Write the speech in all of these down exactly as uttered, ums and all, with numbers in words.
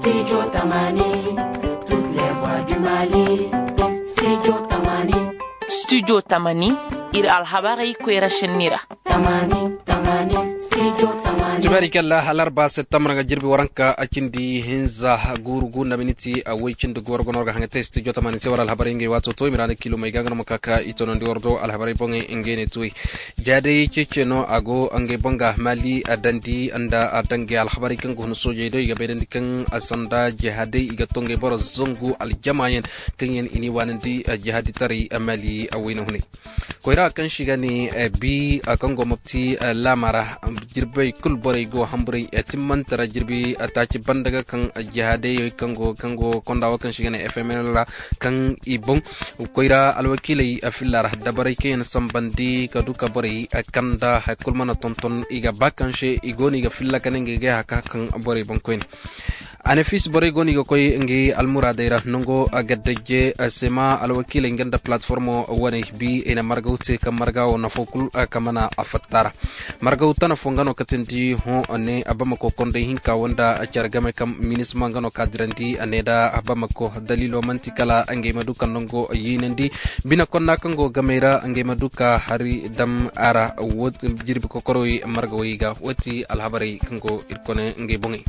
Studio tamani, studio tamani, ir alhabarey koyra šenni ra. Tibaari kalla alarba septembar nga jirbi waranka a cindi hinza guuru gu nda miniti a woy cindi gooro gono war ga haŋa te studio tamani se war alhabarey ngey waato to i ma ra na kilo may ga nga no ma ka ka i tonandi war do alhabarey boŋey ngey ne tuwey. Jaaday ceece no a go ngey boŋ ga maali a dandi nda a dangey alhabarey kaŋ ga hun soojey do i ga bayrandi kaŋ a sanda jihaadey i ga to ngey boro zangu aljamaayaŋ kaŋ yaŋ i n'i waanandi jihaadi taray maali a wayna hunay. Koyra kaŋ se i ga ne bi kaŋ go mopti laama ra jirbey kul borey go hamburay timmante ra jirbi taaci banda ga kaŋ jihaadey kaŋ go konda wo kaŋ se i ga ne fml ra kaŋ i boŋ koyra alwakiiley filla ra dabarey kaŋ yaŋ sambandi ka du ka borey kanda hari kul mana tonton i ga ba kaŋ se i go no i ga filla ka ne ngey ga ay haka kaŋ borey boŋ koyne. Anafis borey go no i ga koy ngey almuraadey ra nango gaddaje sema alwakiiley nga nda palatformo wane bi i na margaw te kaŋ marga wo nafo kul ka mana a fatta ra. Margaw tana fo nga no katindi hõ ne bamako kondey hinka wo nda care game kaŋ minisma nga no ka dirandi a ne nda bamako daliilo man'ti kala ngey ma du ka nango yiinandi bine konna kaŋ go gamey ra ngey ma du ka hari dam a ra. Jirbi kokorowey margawey ga wo ti alhabarey kaŋ go ir kone ngey boŋey.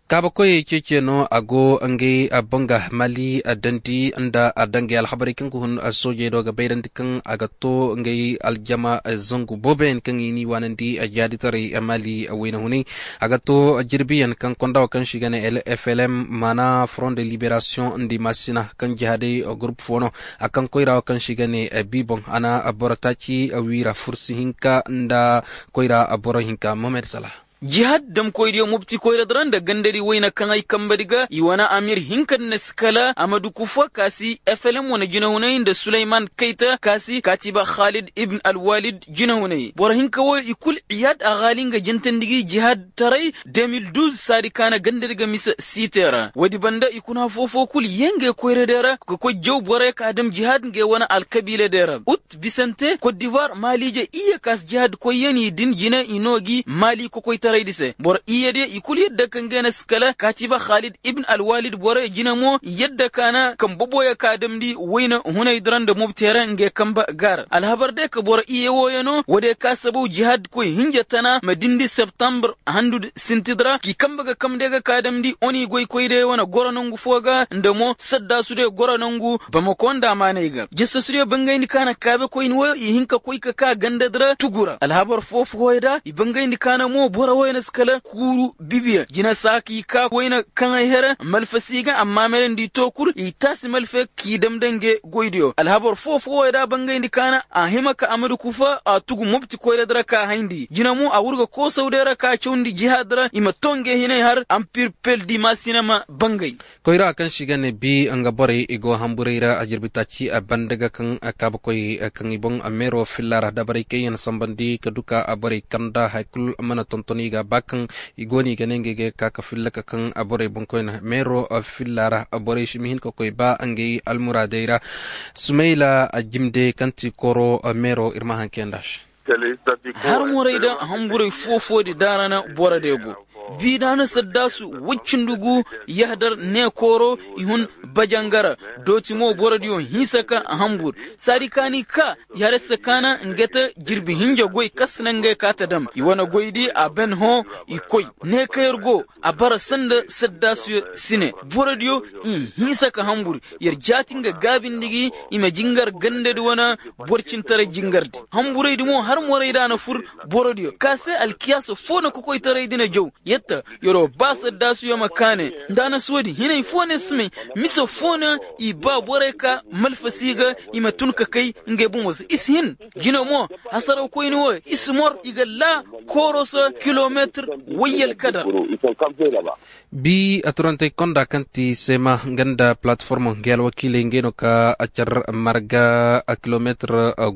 Kaabakoyey ceece no a go ngey boŋ ga mali dandi nda a dangey alhabarey kaŋ ga hun soojey do ga bayrandi kaŋ a ga to ngey aljama zangu booboyaŋ kaŋ i n'i waanandi jaaditaray mali wayna hunay. A ga to jirbiyaŋ kaŋ konda wo kaŋ se i ga ne flm maana front de liberation nda i maasina kaŋ jihaadey gurup fo no a kaŋ koyra wo kaŋ se i ga ne bi boŋ a na boro taaci wiira fursi hinka nda koyra boro hinka mohamed sala. Jihaad damkoydiyo mobti koyradi ra nda gandadi wayna kaŋ ay kambadi ga i wane amir hinka nda na si kala amadu kufa ka si flm wane jinahunay nda suleyman kayta ka si katiba khalid ibn alwalid jinahunay boro hinka wo i kul iyaad a haali nga jintandi gi jihaad taray. De mil duz saadi ka na gandadi ga mise siite ra woodi banda i kuna afoo foo kul yee ngey koyradiyo ra ka koy jaw boroyo ka dam jihaad ngey wane alkabiiladiyo ra ut bisante kot divoir maaliije iyye ka si jihaad koyyaŋ i din jine i noo gi maali kokoytaraydi se boro iyyediyo i kul yadda ka ngey na si kala kaatiba khalid ibn alwalid boroyo jine mo yadda ka na kambe boyo ka damndi wayna hunaydi ra nda mobteera ngey kambe gaara alhabar day ka boro iyye wooyo no woodiyo ka sabaw jihaad koy hinja tana ma dindi septembre handudi sintidi ra k'i kambe ga kamndi ga ka damndi oni goykoydiyo wane goro nangu foo ga nda mo saddaasudiyo goro nangu bamako nda amaanay ga jasasudiyo bangayndi ka na kaabekoyni wooyo i hin ka koy ka ka gandadi ra tugu ra alhabar foo fooyo da i bangayndi ka na mo boro wooyo na si kala kuuru bibiyaŋ jina saa k'i ka wayna kaŋay here malfa si ga amma mere nda i too kul i taasi malfe k'i dam nda ngey goydiyo alhabar foo fooyo da bangayndi ka na a hima ka amadu kufa a tugu mobti koyradi ra ka hayndi jina mo a wurga koosawdiyo ra ka cawndi jihaadi ra i ma too ngey hinay har ampir peldi maasina ma bangay. Koyra kaŋ se i ga ne bi nga borey i go hamburay ra a jirbi taaci a banda ga kaŋ kaabakoy kaŋ i boŋ meero filla ra dabarey kaŋ yaŋ sambandi ka duka a borey kanda hari kul mana tonton i ga ba kaŋ i go no i ga ne ngey ga ka ka filla ka kaŋ a borey boŋkoyna meero filla ra borey si ma hin ka koy ba ngey almuraadey ra. Sumayla a jimde kaŋ ti kooro meero ir ma haŋ kayandi a se. Har morey da hamburay foo-foodi daara na boro de go. Biidaana saddaasu woy cindi gu yahadar neekooro i hun bajangara dooti mo borodiyo hinsa ka hambur saadi kaani ka yahadar se kaana nga te jirbi hinja goy kaŋ si naŋ ngey ka ta dam i wane goydi a ben hõ i koy ne kaŋ yer go a bara sanda saddaasuyo si ne borodiyo i hinsa ka hambur yer jaati nga gaabindi gi i ma jingar gandadi wane borcintaray jingardi hamburaydi mo har morayda na fur borodiyo ka se alkiyaasa foo na kokoytaraydi na jaw yetta yer'o ba saddaasuyo ma kaane nda na soodi hinay foo ne si may mise foo ne i ba borey ka malfasi ga i ma tun ka kay ngey bomo se i si hin jine mo hasarawkoyni wo i si mor i ga laa kooro se kilometir wayyalkadar. Bi a turantey konda kaŋ ti sema nga nda palatform ngey alwakiiley ngey no ka a car marga kilometir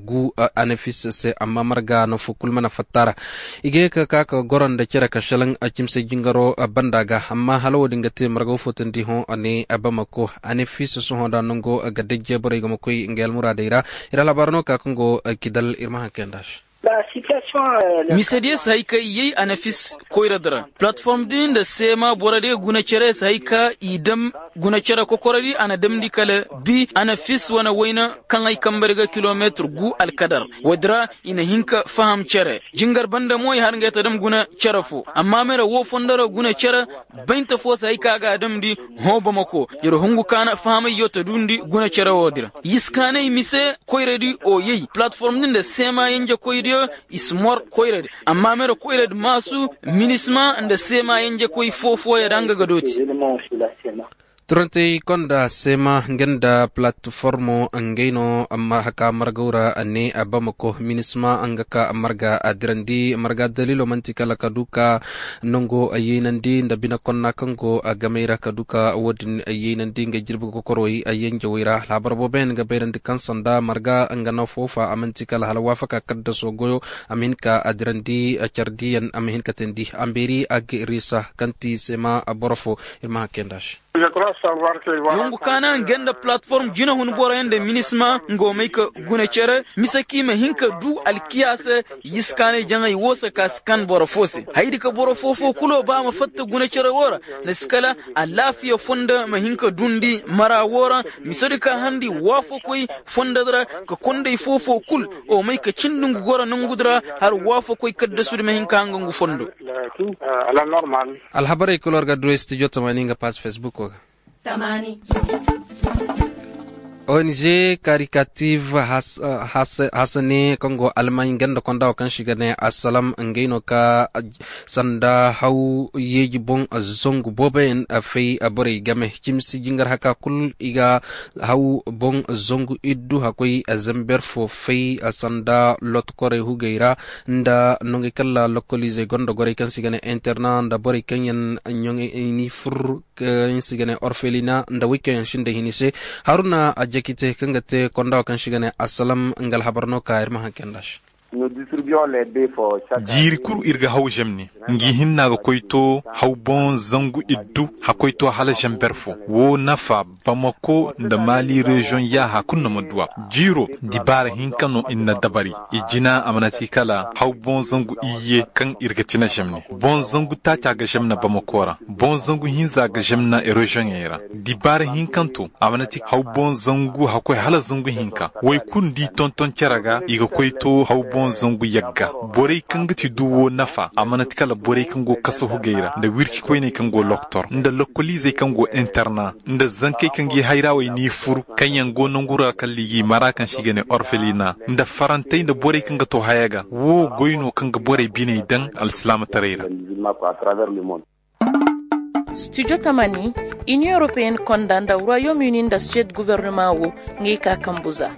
gu anafis se amma marga no fo kul mana fatta ra. I ga ye ka ka ka goro nda cere ka šelaŋ a cimse jingaro banda ga amma hala wo-din ga te marga wo fo tandi hõ a ne bamako anafis sohõ nda nango ga dajje borey ga ma koy ngey almuraadey ra. Ir alhabaara no ka kaŋ go kidal ir ma haŋ kayandi a se. Misediyo si hay ka i yay a na fis koyradi ra. Platform din nda seema borodiyo guna cere si hay ka i dam guna cere kokorodi a na damndi kala bi a na fis wane wayna kaŋ ay kambari ga kilometir gu alkadar. Woodi ra i na hin ka faham cere jingar banda mo i har ngey ta dam guna cere fo amma mere woo fondo ra guna cere. Baynta fo si hay ka a ga a damndi hõ bamako. Yer hungu ka na fahamay yo ta duundi guna cere woodi ra. Yiskaanay mise koyradi o yay platform din nda seema yenjekoydiyo i si mor koyradi. Amma mere koyradi maasu minisma nda seema yenjekoy foo-fooyo ra nga ga dooti. Turantey konda seema nga nda platformo ngey no haka margaw ra ne bamako minisma nga ka marga a dirandi marga daliilo man'ti kala ka du ka nango yeynandi nda bine konna kaŋ go gamey ra ka du ka woodin yeynandi nga jirbi kokorowey yenjewey ra alhabar booboyaŋ ga bayrandi kaŋ sanda marga nga na foofa a man'ti kala hala waafaka kaddaso goyo. A ma hin ka a dirandi cardiyaŋ a ma hin ka teendi a mbeeri a ga iriisa kaŋ ti seema boro fo. Ir ma hakkey nda se. Yongu kaana nga nda platform jinahun boroyaŋ nda minisma nga wo may ka guna cere mise kaŋ i ma hin ka du alkiyaase. Yiskaanay jaŋay woo se ka si kan boro foo se haydi ka boro foo-foo kulo ba a ma fatta guna cere woo ra. Na si kala alaafiya fondo ma hin ka duundi mara woo ra. Misedi ka harndi waafakoy fondodi ra ka kondey foo-foo kul o may ka cindi ngu goro nongudi ra. Har waafakoy kaddasudi ma hin ka hanga ngu fondo. Alhabarey kul war ga du studio tamaani nga paas fesbuko ga. Ong karikativ hasane kaŋ go almaaɲ ganda konda wo kaŋ se i ga ne asalam ngey no ka sanda haw yeeji boŋ zangu booboyaŋ fay borey game cimsi jingar haka kul i ga haw boŋ zangu iddu hakkoy zamber fo fay sanda lotkorey hugey ra nda nongey kalla lokoliizey gonda gorey kaŋ se i ga ne interna nda borey kaŋ yaŋ ɲoŋey ni fur kaŋ se i ga ne orfelina nda wey kaŋ yaŋ sinda hini se. Haruna ajakite kaŋ ga te konda wo kaŋ se i ga ne asalam nga alhabar no ka ir ma haŋ kay nda se. Jiiri kul ir ga haw žemne ngi hinna ga koy to haw boŋ zangu iddu hakkoy to hala žember fo woo nafa bamako nda maali reziyoŋ yaaha kul na ma duw'a. Jiiro dibaara hinka no ir na dabari i jina a mana ti kala haw boŋ zangu iyye kaŋ ir ga cina žemne boŋ zangu taaca ga žemna bamako ra boŋ zangu hinza ga žemna reziyoŋey ra. Dibaara hinkanto a mana ti haw boŋ zangu hakkoy hala zangu hinka woy kulu nda i tonton cere ga i ga koy to haw boŋ zangu yagga. Borey kaŋ ga ti duwo nafa a mana ti kala borey kaŋ go kasahu gay ra nda wirci koyney kaŋ go loktor nda lokoliizey kaŋ go interna nda zankey kaŋ ga i hayrawey n'i fur kaŋ yaŋ go nangu ra kala i g'i mara kaŋ se i ga ne orfelina nda farantey nda borey kaŋ ga to haya ga. Wo goy no kaŋ ga borey biney daŋ alsilaamataray ra. Studio tamani, inion europeen konda nda royaume uni nda suwed guvernema wo ngey ka kambu za.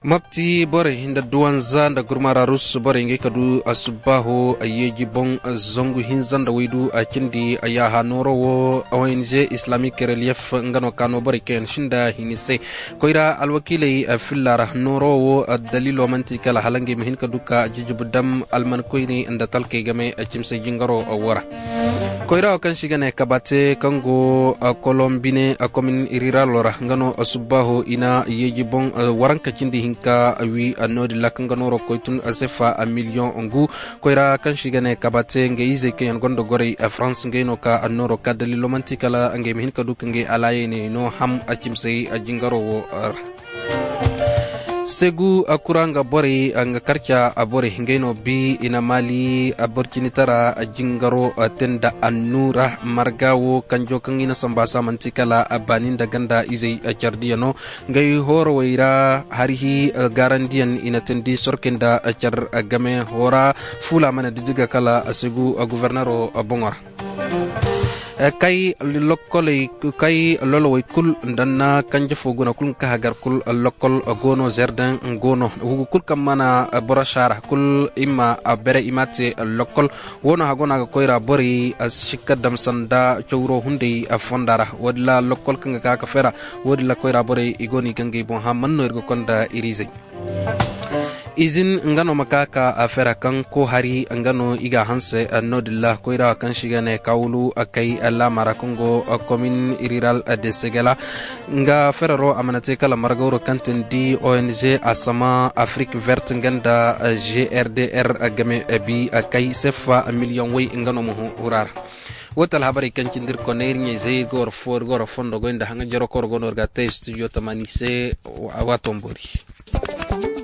Mopti borey nda duwanza nda gurmara rus borey ngey ka du asubbaaho yeeji boŋ zangu hinza nda waydu a cindi yaaha nooro wo ong islamic relief nga no ka no borey kaŋ yaŋ sinda hini se. Koyra alwakiiley filla ra nooro wo daliilo man'ti kala hala ngey ma hin ka du ka jijibu dam almankoyney nda talkey game cimsey jingaro wo ra. Koyra wo kaŋ se i ga ne kabate kaŋ go kolom bine komin riralo ra nga no subbaaho i na yeeji boŋ waranka cindi hinka wi noodin ra kaŋ ga nooro koy tun sefa miliyoŋ ngu. Koyra kaŋ se i ga ne kabate nga izey kaŋ yaŋ gonda gorey farans ngey no ka annooro ka daliilo man'ti kala ngey ma hin ka du ka ngey alaayey ne no ham a cimsey a jingaro wo ra. Segu kura nga borey nga karca borey ngey no bi i na maali borcinitara jingaro te nda annuura marga wo kanjo kaŋ i na samba sa man'ti kala baani nda ganda izey cardiya no. Ngey hoorowey ra harihi gaarandiyaŋ i na teendi sorkey nda car game hoora fuula mana diddiga kala segu gubernero boŋo ra. Kay lokkoley kay lolowey kul nda na kanje fo guna kul nga ka hagar kul lokkol go no zerden go no hugu kul kaŋ mana boro saara kul i ma bere i ma te lokkol. Wo no hago no a ga koyra borey a si sikka dam sanda cawro hunday fonda ra woodin ra lokkol kaŋ ga ka ka fera woodin ra koyra borey i go no i ga ngey boŋ hã man no ir ga konda ir izey. Izin nga no ma ka ka a fera kaŋ ko hari nga no i ga a hanse. Noodin ra koyra kaŋ se i ga ne kawulu kay laama ra kaŋ go komin riral de segela. Nga ferero a mana te kala margawro kaŋ tindi ong asama afrik vert nga nda grdr game bi kay seffa miliyoŋ way nga no ma hura ra. Wo ti alhabarey kaŋ cindi ir koney ir ɲayzey ir ga war fondo goy nda haŋa jero koro go no ir ga a te studio tamani se. Waato ma boori.